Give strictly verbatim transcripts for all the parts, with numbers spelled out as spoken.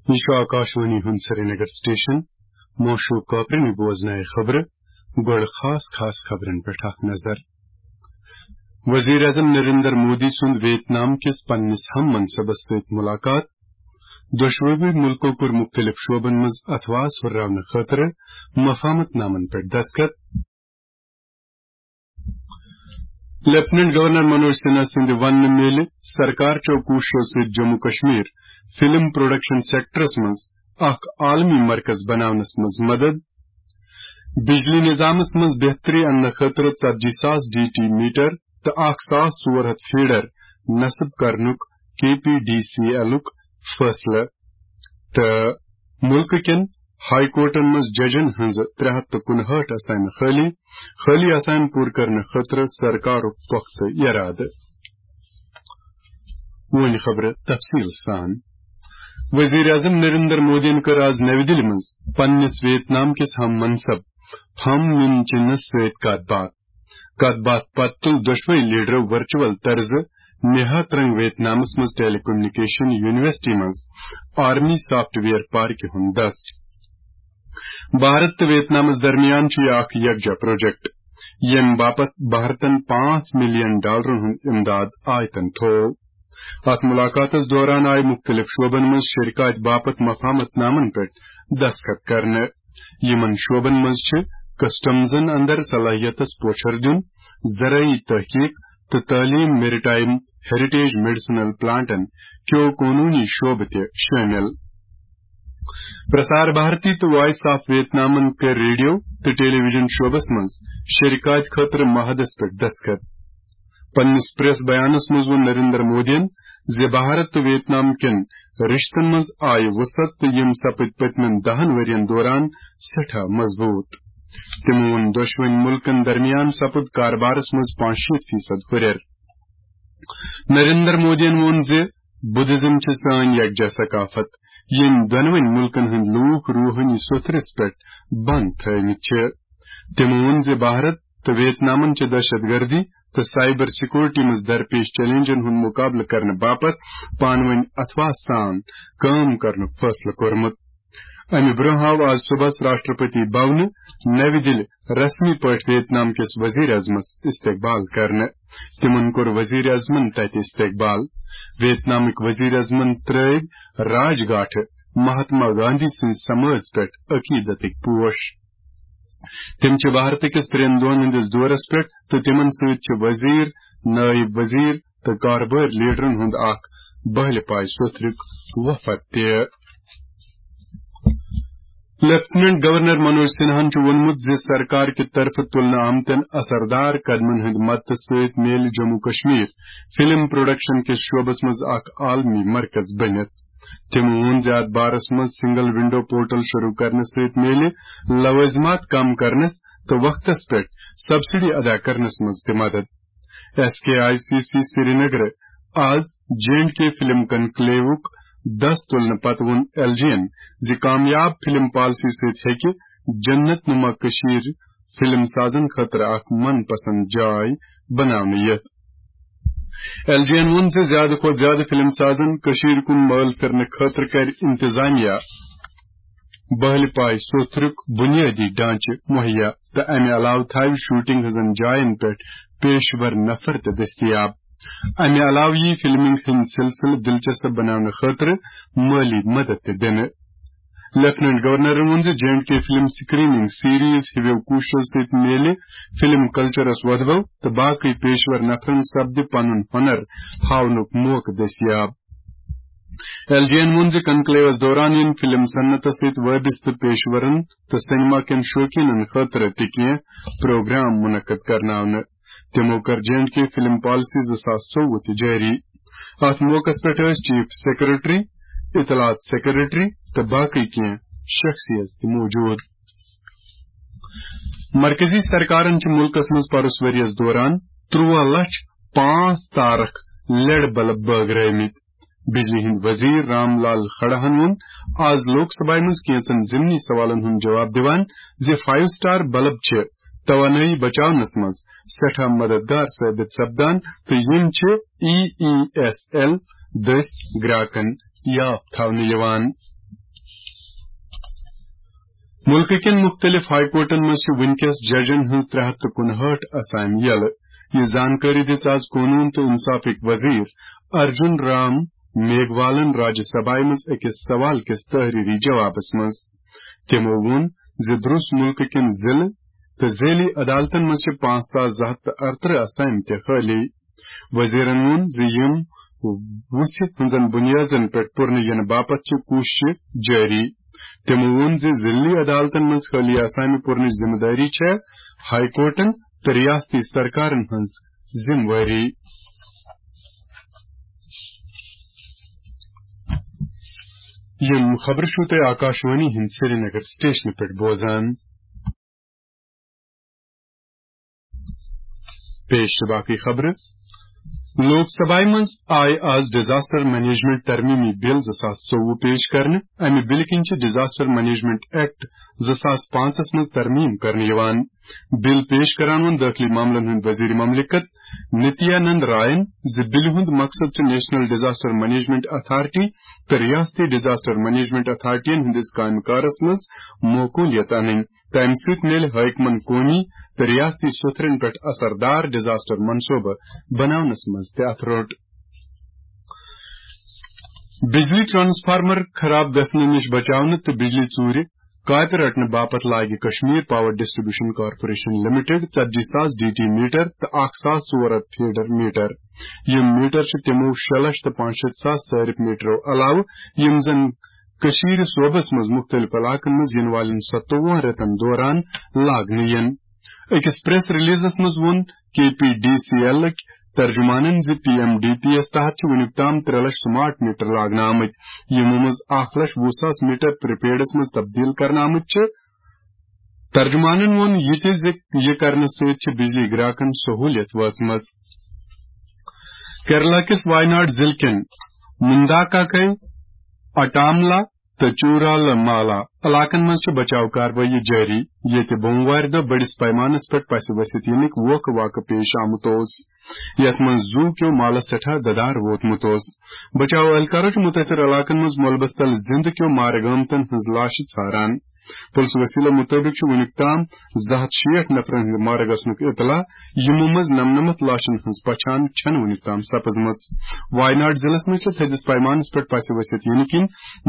یہِ چھُ آکاشوانی ہُنٛد سرینگر سٹیشن۔ موشوق کاپرنہِ بوزنایہِ خبرٕ۔ گۄڈٕ خاص خاص خبرن پٮ۪ٹھ اکھ نظر۔ وزیر اعظم نریندر مودی سُنٛد ویتنام کِس پننِس ہم منصبس سۭتۍ ملاقات۔ دۄشوٕے مُلکو کوٚر مُختٔلِف شعبن منٛز اتھواس ہُرراونہٕ خٲطرٕ مفاہمت نامن پٮ۪ٹھ دستخط۔ لیفٹیننٹ گورنر منوج سنہا سٕنٛدِ وننہٕ میلہِ سرکار چو کوٗششو سۭتۍ Jammu Kashmir film production sectors منٛز اکھ عالمی مرکز بناونس منٛز مدد۔ بجلی نظامس منٛز بہتری اننہٕ خٲطرٕ ژتجی ساس ڈی ٹی میٹر تہٕ اکھ ساس ژور ہتھ فیڈر نصب کرنُک کے پی ڈی سی ایلُک فٲصلہٕ۔ تہٕ مُلکہٕ کٮ۪ن ہائی کورٹن منٛز ججن ہٕنٛزٕ ترٛےٚ ہتھ تہٕ کُنہٲٹھ آسامہِ خٲلی، خٲلی آسامہِ پوٗرٕ کرنہٕ خٲطرٕ سرکارُک پۄختہٕ ارادٕ۔ وۄنۍ خبرٕ تفصیل سان۔ وزیر اعظم نریندر مودیَن کٔر آز نَوِ دِلہِ منٛز پننِس ویتنام کِس ہم منصب فم مِن چِنَس سۭتۍ کتھ باتھ۔ کتھ باتھ پتہٕ تُل دۄشوے لیڈرو ورچوئل طرزٕ نیہا ترنگ ویتنامس منٛز ٹیلی کمیونیکیشن یونیورسٹی منٛز آرمی سافٹ ویئر پارکہِ ہُنٛد دس۔ بھارت تہٕ ویتنامس درمیان چھُ یہِ اکھ یکجا پروجیکٹ، ییٚمہِ باپتھ بھارتن پانٛژھ ملین ڈالرن ہُنٛد امداد آیتن تھوو۔ اتھ ملاقاتس دوران آیہِ مُختٔلِف شعبن منٛز شرکت باپتھ مفاہمت نامن پٮ۪ٹھ دستخط کرنہٕ۔ یِمن شعبن منٛز چھِ کسٹمزن اندر صلاحیتس پوچھر دیُن، زرعی تحقیق تہٕ تعلیم، میریٹائم ہیریٹیج میڈیسنل پلانٹن کیو قونوٗنی شعبہٕ تہِ شٲمِل۔ پرسار بھارتی تہٕ وائس آف ویتنامن کٔر ریڈیو تہٕ ٹیلی ویژن شعبس منٛز شرکت خٲطرٕ معاہدس پٮ۪ٹھ دستخط۔ پننِس پریس بیانس منٛز ووٚن نریندر مودیَن زِ بھارت تہٕ ویتنام کٮ۪ن رشتن منٛز آیہِ وسعت تہٕ یِم سپٕدۍ پٔتمٮ۪ن دَہن ؤرین دوران سٮ۪ٹھاہ مضبوٗط۔ تِمو ووٚن دۄشوٕنۍ مُلکن درمیان سپُد کاربارس منٛز پانٛژشیٖتھ فیصد ہُرٮ۪ر۔ نریندر مودیَن ووٚن زِ بدھزم چھِ سٲنۍ یکجا ثقافت، ییٚمۍ دۄنوٕنۍ مُلکن ہٕنٛدۍ لوٗکھ روحٲنی سوٚتھرِس پٮ۪ٹھ بنٛد تھٲومٕتۍ چھِ۔ تِمو ووٚن زِ بھارت تہٕ ویتنامن چھِ دہشت گردی تہٕ سائبر سیکورٹی منٛز درپیش چیلنجن ہُنٛد مقابلہٕ کرنہٕ باپتھ پانہٕ وٲنۍ اتھواس سان کٲم کرنُک فٲصلہٕ کوٚرمُت۔ امہِ برٛونٛہہ آو آز صُبحس راشٹرپتی بھونہٕ نَوِ دِلہِ رسمی پٲٹھۍ ویتنام کِس وزیر اعظمس استقبال کرنہٕ۔ تِمن کوٚر وزیر اعظمن تتہِ استقبال۔ ویتنامٕکۍ وزیر اعظمن ترٲوۍ راج گاٹھٕ مہاتما گاندھی سٕنٛزِ سمٲژ پٮ۪ٹھ عقیدتٕکۍ پوش۔ تِم چھِ بھارت کِس ترٛٮ۪ن دۄہن ہٕنٛدِس دورس پٮ۪ٹھ تہٕ تِمن سۭتۍ چھِ وزیر، نٲیِب وزیر تہٕ کاربٲرۍ لیڈرن ہُنٛد اکھ بہلہِ پایہِ سوٚتھرُک وفد تہِ۔ لیفٹیننٹ گورنر منوج سنہاہن چھُ ووٚنمُت زِ سرکار کہِ طرفہٕ تُلنہٕ آمتٮ۪ن اثردار قدمن ہٕنٛدِ مدتہٕ سۭتۍ میلہِ جموں کشمیر فلم پروڈکشن کِس شعبس منٛز اکھ عالمی مرکز بٔنِتھ۔ تِمو ووٚن زِ اتھ بارس منٛز سنگل ونڈو پورٹل شروع کرنہٕ سۭتۍ میلہِ لوازمات کم کرنس تہٕ وقتس پٮ۪ٹھ سبسڈی ادا کرنس منٛز تہِ مدد۔ S K I C C Srinagar آز جے اینڈ کے فلم کنکلیوُک دس تُلنہٕ پتہٕ ووٚن ایل جی یَن زِ کامیاب فلم پالیسی سۭتۍ ہیٚکہِ جنت نما کٔشیٖر فلم سازن خٲطرٕ اکھ من پسند جاے بناونہٕ یِتھ۔ ایل جی یَن ووٚن زِ زیادٕ کھۄتہٕ زیادٕ فلم سازن کٔشیٖرِ کُن مٲل پھِرنہٕ خٲطرٕ کرِ انتظامیہ بہلہِ پایہِ سوٚتھرُک بُنیٲدی ڈھانچہٕ مُہیا تہٕ امہِ علاوٕ تھاوِ شوٹنگ ہٕنٛزن جاین پٮ۪ٹھ پیشور نفر تہِ دٔستیاب۔ امہِ علاوٕ یِیہِ فلمنگ ہٕنٛدۍ سلسلہٕ دلچسپ بناونہٕ خٲطرٕ مٲلی مدد تہِ دِنہٕ۔ لیفٹیننٹ گورنرن ووٚن زِ J and K film screening series ہِوٮ۪و کوٗششو سۭتۍ میلہِ فلم کلچرس وۄدبو تہٕ باقٕے پیشور نفرن سپدِ پنُن ہُنر ہاونُک موقعہٕ دٔستیاب۔ ایل جی یَن ووٚن زِ کنکلیوس دوران یِن فلم صنعتس سۭتۍ وابستہٕ پیشورن تہٕ سینما کٮ۪ن شوقیٖنن خٲطرٕ تہِ کینٛہہ پروگرام منعقد کرناونہٕ۔ تِمو کٔر J and K film policy زٕ ساس ژوٚوُہ تہِ جٲری۔ اتھ موقعس پٮ۪ٹھ ٲسۍ چیف سیکرٹری، اطلاعات سیکرٹری تہٕ باقٕے کینٛہہ شخصیت تہِ موجود۔ مرکزی سرکارن چھِ مُلکس منٛز پروٚس ؤرۍ یَس دوران ترٛوہ لچھ پانٛژھ تارک لیڈ بلب بٲگرٲومٕتۍ۔ بجلی ہٕنٛدۍ وزیر رام لال کھڑاہن ووٚن آز لوک سبھایہ منٛز کینژن ضمنی سوالن ہُنٛد جواب دِوان زِ فائیو سٹار بلب چھِ توانٲیی بچاونس منٛز سٮ۪ٹھاہ مددگار ثٲبت سپدان تہٕ یِم چھِ ای ای ایس ایل دٔسۍ گراکن یاف تھاونہٕ یِوان۔ مُلکہٕ کٮ۪ن مُختٔلِف ہائی کورٹَن منٛز چھِ وٕنکیٚس ججَن ہٕنٛز ترٛےٚ ہَتھ تہٕ کُنہٲٹھ اسامہِ یَلہٕ۔ یہِ زانکٲری دِژ آز قونوٗن تہٕ اِنصافٕکۍ وزیٖر ارجُن رام میگوالَن راجیہ سبھایہِ منٛز أکِس سوال کِس تحریری جوابَس منٛز۔ تِمَو ووٚن زِ درٛوس مُلکہٕ کٮ۪ن ضلعہٕ تہٕ ذیلی عدالتَن منٛز چھِ پانٛژھ ساس زٕ ہَتھ تہٕ اَرترٕہ اسامہِ تہِ خٲلی۔ وزیرَن ووٚن زِ یِم وُژھِ ہٕنٛزن بُنیادن پٮ۪ٹھ پُرنہٕ یِنہٕ باپتھ چھِ کوٗششہٕ جٲری۔ تِمَو ووٚن زِ ضلعی عدالتَن منٛز خٲلی اسامہِ پُرنٕچ ذمہٕ دٲری چھےٚ ہائی کورٹَن تہٕ ریاستی سرکارَن ہٕنٛز ذمہٕ وٲری۔ یِم خبرٕ چھِو تُہۍ آکاشوانی ہٕنٛدِ سرینگر سٹیشنہٕ پٮ۪ٹھ بوزان۔ پیش چھِ باقٕے خبرٕ۔ لوک سبھایہِ منٛز آیہِ آز ڈیزاسٹر مینجمنٹ ترمیمی بل زٕ ساس ژوٚوُہ پیش کرنہٕ۔ امہِ بلہِ کِنۍ چھِ ڈیزاسٹر مینجمنٹ ایکٹ زٕ ساس پانٛژس منٛز ترمیم کرنہٕ یِوان۔ بل پیش کران ووٚن دٲخلی معاملن ہٕنٛدۍ وزیر مملکت نتیانند رائن زِ بلہِ ہُنٛد مقصد چھُ نیشنل ڈیزاسٹر مینجمنٹ اتھارٹی تہٕ ریاستی ڈیزاسٹر مینجمنٹ اتھارٹین ہٕنٛدِس کامہِ کارس منٛز معقولیت انٕنۍ۔ تَمہِ سۭتۍ میلہِ حٲکمَن قومی تہٕ ریاستی سوٚتھرَن پٮ۪ٹھ اثردار ڈیزاسٹر منصوبہٕ بناونَس منٛز تہِ اَتھٕ روٚٹ۔ بجلی ٹرانسفارمر خراب گژھنہٕ نِش بچاونہٕ تہٕ بجلی ژوٗرِ کاپہِ رٹنہٕ باپتھ لاگہِ Kashmir power distribution corporation limited ژتجی ساس ڈی ٹی میٹر تہٕ اکھ ساس ژور ہتھ فیڈر میٹر۔ یِم میٹر چھِ تِمو شےٚ لچھ تہٕ پانٛژھ شیٖتھ ساس صارف میٹرو علاوٕ، یِم زن کٔشیٖرِ صوبس منٛز مُختٔلِف علاقن منٛز یِنہٕ والٮ۪ن ستووُہن رٮ۪تن دوران لاگنہٕ یِن۔ أکِس پریس ریلیزس منٛز ووٚن کے پی ڈی سی ایلٕکۍ ترجمانن زِ پی ایم ڈی پی یس تحت چھِ وُنیُک تام ترٛےٚ لچھ سمارٹ میٹر لاگنہٕ آمٕتۍ، یِمو منٛز اکھ لچھ وُہ ساس میٹر پریپیڈس منٛز تبدیل کرنہٕ آمٕتۍ چھِ۔ ترجمانن ووٚن یہِ تہِ زِ یہِ کرنہٕ سۭتۍ چھِ بجلی گراکن سہوٗلیت وٲژمٕژ۔ کیرلا کِس وایناڈ ضلعہٕ کٮ۪ن مُنداکاکے، اٹاملا تہٕ چورالہٕ مالا علاقن منٛز چھِ بچاو کاروٲیی جٲری، ییٚتہِ بوموارِ دۄہ بٔڑِس پیمانس پٮ۪ٹھ پسہِ ؤسِتھ یِنٕکۍ ووکھٕ واقعہٕ پیش آمُت اوس، یتھ منٛز زوٗ کیو مالس سٮ۪ٹھاہ ددار ووتمُت اوس۔ بچاو اہلکارو چھِ مُتٲثر علاقن منٛز ملبس تل زِندٕ کیو مارٕ گٲمتن ہٕنٛز لاشہِ ژھاران۔ پُلسہٕ وسیلو مُطٲبِق چھُ وُنیُک تام زٕ ہتھ شیٹھ نفرن ہٕنٛدِ مارٕ گژھنُک اطلاع، یِمو منٛز نَمنَمَتھ لاشن ہٕنٛز پہچان چھَنہٕ وُنیُک تام سپٕزمٕژ۔ وایناڈ ضلعس منٛز چھِ تھٔدِس پیمانس پٮ۪ٹھ پسہِ ؤسِتھ یِنہٕ کِنۍ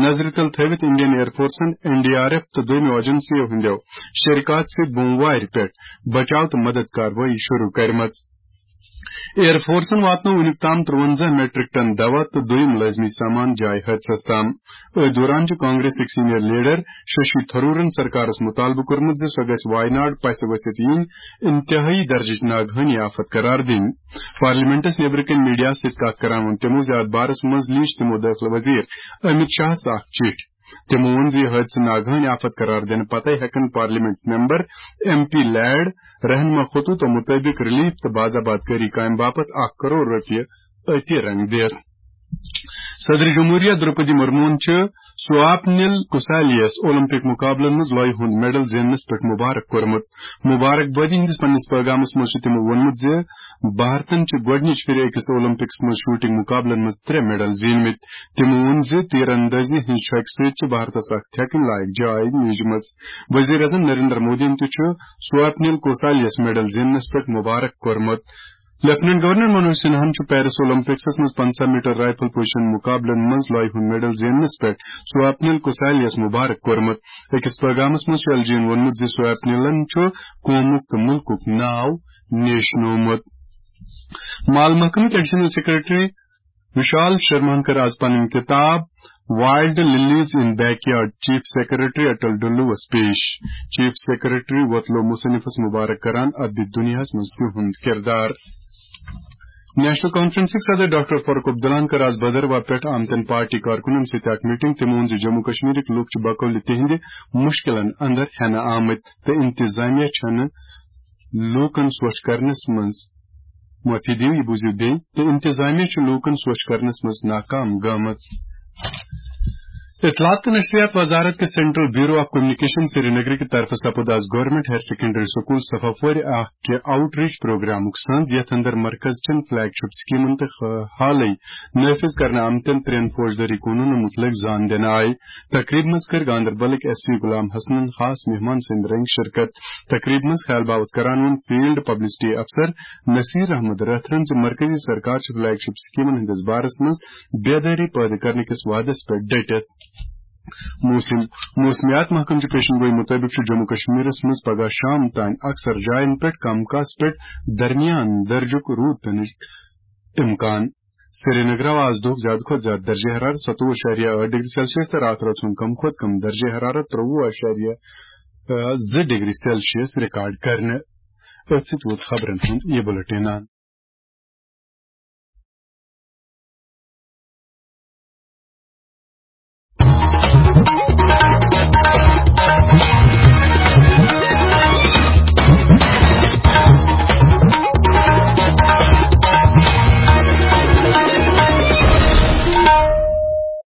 نظرِ تل تھٲوِتھ انڈین ایئر فورسن، این ڈی آر ایف تہٕ دوٚیمہِ ایجنسیو ہٕنٛدیو شرکات سۭتۍ بوموارِ پٮ۪ٹھ بچاو تہٕ مدد کاروٲیی شروع کٔرمٕژ۔ ایئر فورسن واتنوو وُنیُک تام ترٛوَنزاہ میٹرک ٹن دوا تہٕ دوٚیِم لٲزمی سامان جایہِ حٲدثس تام۔ أتھۍ دوران چھُ کانگریسٕکۍ سینئر لیڈر ششی تھرورن سرکارس مُطالبہٕ کوٚرمُت زِ سۄ گژھِ وایناڈ پسہِ ؤسِتھ یِنۍ انتہٲئی درجٕچ ناگہٲنی آفت قرار دِنۍ۔ پارلیمنٹس نیبرٕ کنہِ میڈیاہس سۭتۍ کتھ کران ووٚن تِمو زِ اتھ بارس منٛز لیٖچھ تِمو دٲخلہٕ وزیر امت شاہس اکھ چِٹھۍ۔ تِمو ووٚن زِ یہِ حٲدثہٕ ناگہٲنۍ آفت قرار دِنہٕ پتے ہٮ۪کن parliament member, M P lad, رہنما خطوطو مُطٲبِق ریلیف تہٕ باضاباد کٲری کامہِ باپتھ اکھ کرور رۄپیہِ أتی رنگ دِتھ۔ صدر جمہوریہ درپدی مرموہن چھُ سواپنیل کسالیس اولمپک مقابلن منٛز لۄیہِ ہُنٛد میڈل زیننس پٮ۪ٹھ مبارک کوٚرمُت۔ مبارک بٲدی ہٕنٛدِس پننِس پیغامس منٛز چھُ تِمو ووٚنمُت زِ بھارتن چھِ گۄڈٕنِچ پھِرِ أکِس اولمپکس منٛز شوٹنگ مقابلن منٛز ترٛےٚ میڈل زیٖنمٕتۍ۔ تِمو ووٚن زِ تیر اندٲزی ہٕنٛز چھۄکہِ سۭتۍ چھِ بھارتس اکھ تھٮ۪کٕنۍ لایق جاے میٖجمٕژ۔ وزیر اعظم نریندر مودیَن تہِ چھُ سواپنیل کوسالیَس میڈل زیننس پٮ۪ٹھ مبارک کوٚرمُت۔ لیفٹیننٹ گورنر منوج سنہاہن چھُ پیرس اولمپکسس منٛز پنژاہ میٹر رائفل پوزیشن مقابلن منٛز لۄیہِ ہُنٛد میڈل زیننس پٮ۪ٹھ سواپنیل کوسالیَس مبارک کوٚرمُت۔ أکِس پیغامس منٛز چھُ ایل جی یَن ووٚنمُت زِ سواپنیلن چھُ قومُک تہٕ مُلکُک ناو نیشنومُت۔ مال محکمٕکۍ ایڈیشنل سیکرٹری وشال شرماہن کٔر آز پنٕنۍ کتاب wild lilies in backyard chief secretary Atal Dulloo پیش۔ چیف سیکرٹری وۄتلو مصنفس مبارک کران ادبی دنیاہس منٛز تِہُنٛد کردار۔ نیشنل کانفرنسٕکۍ صدر ڈاکٹر فاروق عبداللہن کٔر آز بھدرواہ پٮ۪ٹھ آمتن پارٹی کارکُنن سۭتۍ اکھ میٹنگ۔ تٔمۍ ووٚن زِ جموں کشمیرٕکۍ لوٗکھ چھِ بقول تِہنٛدِ مُشکِلن اندر ہٮ۪نہٕ آمٕتۍ تہٕ انتظامیہ چھنہٕ لوٗکن سوچھ کرنس منٛز، معٲفی دِیِو، یہِ بوٗزِو بیٚیہِ، تہٕ انتظامیہ چھُ لوٗکن سوچھ کرنس منٛز ناکام گٔمٕژ۔ اطلاعات تہٕ نشریات وزارت کِس سینٹرل بیورو آف کمیونیکیشن سرینگرٕ کہِ طرفہٕ سپُد آز گورنمنٹ ہائر سیکنڈری سکول صفاپورِ اکھ کہِ آؤٹ ریچ پروگرامُک سنز، یتھ اندر مرکز چٮ۪ن فلیگ شپ سکیمن تہٕ خ-، حالٕے نافذ کرنہٕ آمتٮ۪ن ترٛٮ۪ن فوجدٲری قونوٗنن مُتعلق زان دِنہٕ آیہِ۔ تقریبہِ منٛز کٔر گاندربلٕکۍ ایس پی غلام حسنن خاص مہمان سٕنٛدۍ رنگۍ شرکت۔ تقریبہِ منٛز خیال باوت کران ووٚن فیلڈ پبلسٹی افسر نصیر احمد رٲتھرن زِ مرکزی سرکار چھِ فلیگ شپ سکیمن ہٕنٛدِس بارس منٛز بیدٲری پٲدٕ کرنہٕ کِس وعدس پٮ۪ٹھ ڈٔٹِتھ۔ موسم۔ موسمیات محکمہٕ چہِ پیشن گوئی مُطٲبِق چھُ جموں کشمیرس منٛز پگاہ شام تام اکثر جاین پٮ۪ٹھ کم کاس پٮ۪ٹھ درمیان درجُک روٗد پینٕچ امکان۔ سرینگر آو آز دۄہُک زیادٕ کھۄتہٕ زیادٕ درجہ حرارت ستووُہ اعشاریہ ٲٹھ ڈگری سیلسیس تہٕ راتھ رٲژ ہُنٛد کم کھۄتہٕ کم درجہ حرارت ترٛوٚوُہ اعشاریہ زٕ ڈگری سیلسیس ریکارڈ کرنہٕ۔ أتھۍ سۭتۍ ووت خبرن ہُنٛد یہِ بُلٹن۔